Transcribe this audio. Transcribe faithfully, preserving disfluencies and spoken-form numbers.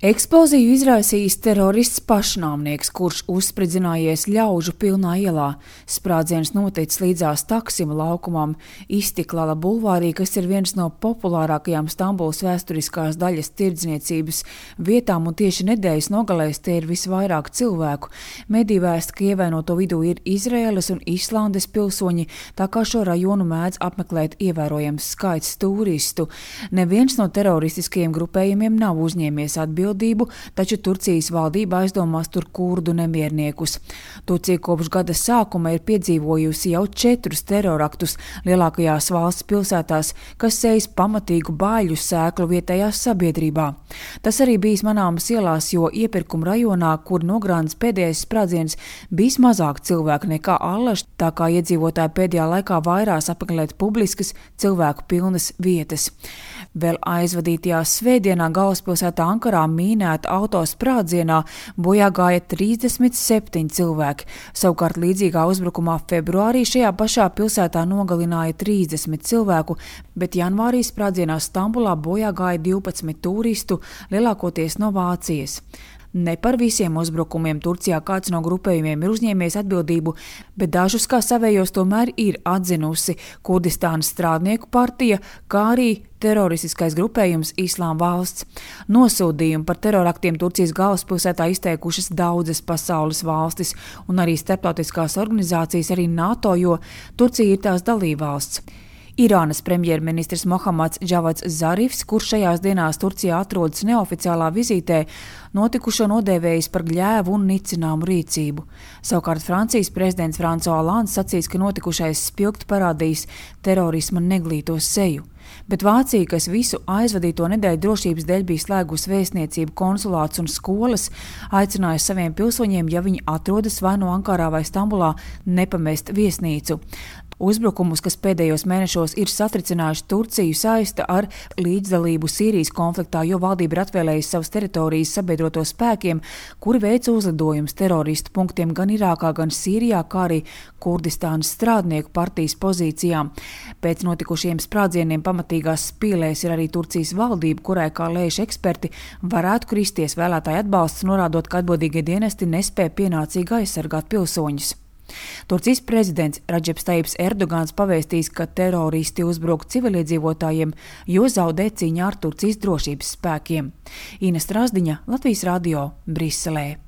Eksploziju izraisījis terorists pašnāvnieks, kurš uzspridzinājies ļaužu pilnā ielā. Sprādziens noticis līdzās Taksima laukumam, Istiklala bulvārī, kas ir viens no populārākajām Stambulas vēsturiskās daļas tirdzniecības vietām, un tieši nedēļas nogalēs te ir visvairāk cilvēku. Mediji vēsta, ka ievainoto vidū ir Izraēlas un Islandes pilsoņi, tā kā šo rajonu mēdz apmeklēt ievērojams skaits turistu. Neviens no teroristiskajiem grupējumiem nav uzņēmies atbildību, taču Turcijas valdība aizdomās tur kurdu nemierniekus. Turcija kopš gada sākuma ir piedzīvojusi jau četrus teroraktus lielākajās valsts pilsētās, kas sējas pamatīgu bāļu sēklu vietējās sabiedrībā. Tas arī bijis manāmas ielās, jo iepirkuma rajonā, kur nogrāns pēdējais sprādziens, bijis mazāk cilvēku nekā allaž, tā kā iedzīvotāji pēdējā laikā vairās apmeklēt publiskas, cilvēku pilnas vietas. Vēl aizvadītajā svētdienā galvaspilsētā Ankarā mīnēta autosprādzienā bojā gāja trīsdesmit septiņi cilvēki. Savukārt līdzīgā uzbrukumā februārī šajā pašā pilsētā nogalināja trīsdesmit cilvēku, bet janvārī sprādzienā Stambulā bojā gāja divpadsmit turistu, lielākoties no Vācijas. Ne par visiem uzbrukumiem Turcijā kāds no grupējumiem ir uzņēmies atbildību, bet dažus kā savējos tomēr ir atzinusi Kurdistānas strādnieku partija, kā arī teroristiskais grupējums Islāma valsts. Nosūdījumu par teroraktiem Turcijas galvaspilsētā izteikušas daudzas pasaules valstis un arī starptautiskās organizācijas, arī NATO, jo Turcija ir tās dalībvalsts. Irānas premjerministrs Mohammads Džavads Zarifs, kurš šajās dienās Turcijā atrodas neoficiālā vizītē, notikušo nodēvējis par gļēvu un nicināmu rīcību. Savukārt Francijas prezidents François Hollands sacīs, ka notikušais spilgt parādījis terorisma neglīto seju. Bet Vācija, kas visu aizvadīto nedēļu drošības dēļ bija slēgusi vēstniecību, konsulātus un skolas, aicināja saviem pilsoņiem, ja viņi atrodas vai no Ankarā vai Stambulā, nepamest viesnīcu. Uzbrukumus, kas pēdējos mēnešos ir satricinājuši Turciju, saista ar līdzdalību Sīrijas konfliktā, jo valdība ir atvēlējusi savas teritorijas sabiedroto spēkiem, kuri veica uzlidojumus teroristu punktiem gan Irākā, gan Sīrijā, kā arī Kurdistānas strādnieku partijas pozīcijām. Pēc notikušiem sprādzieniem pamatīgās spīlēs ir arī Turcijas valdība, kurai, kā lēš eksperti, varētu kristies vēlētāju atbalsts, norādot, ka atbildīgie dienesti nespēja pienācīgi aizsargāt pilsoņus. Turcijas prezidents Radžeps Tajips Erdogans pavēstīs, ka teroristi uzbruk civiliedzīvotājiem, jo zaudē cīņā ar Turcijas drošības spēkiem. Ina Strasdiņa, Latvijas radio, Briselē.